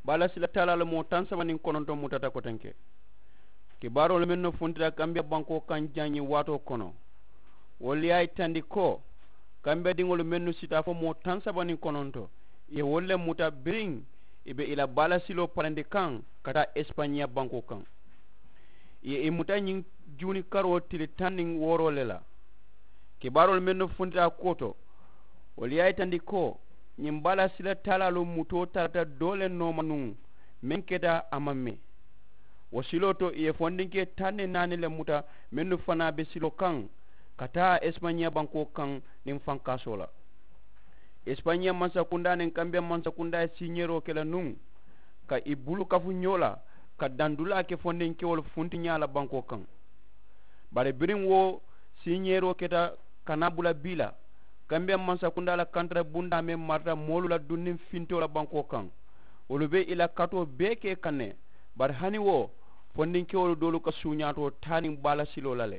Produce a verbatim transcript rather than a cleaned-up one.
Baalasila taalaalu moo taŋ saba niŋ kononto mutata kotenke. Kibaaroolu mennu funtita kambiya bankoo kaŋ jaŋ ñiŋ waatoo kono, wolu ye a yitandi ko kambiyadiŋolu mennu sita fo moo taŋ saba niŋ kononto, ì ye wolu le muta biriŋ ì be ì la baalasiloo parandi kaŋ ka taa esipañiya bankoo kaŋ. Ì ye ì muta ñiŋ juuni karoo tili taŋ niŋ wooroo le la. Kibaaroolu mennu funtita a kuwo to, wolu ye a yitandi ko ñiŋ baalasila taalaalu mutoo tarata doo le nooma nuŋ meŋ keta a maŋ mee. Wo siloo to ì ye fondinkee taŋ niŋ naani le muta mennu fanaa be siloo kaŋ ka taa esipañiya bankoo kaŋ niŋ fankaasoo la. Esipañiya mansakundaa niŋ kambiya mansakundaa ye siiñeeroo ke la nuŋ ka ì bulu kafu ñoo la ka dandulaa ke fondinkewolu funtiñaa la bankoo kaŋ. Bari biriŋ wo siiñeeroo keta ka naa bula bii la, kambiya mansakundaa la kantara bundaa meŋ marata moolu la dunniŋ fintoo la bankoo kaŋ, wolu be ì la katoo bee ke kaŋ ne. Bari hani wo fondinkewolu doolu ka suuñaatoo taa niŋ baala siloo la le.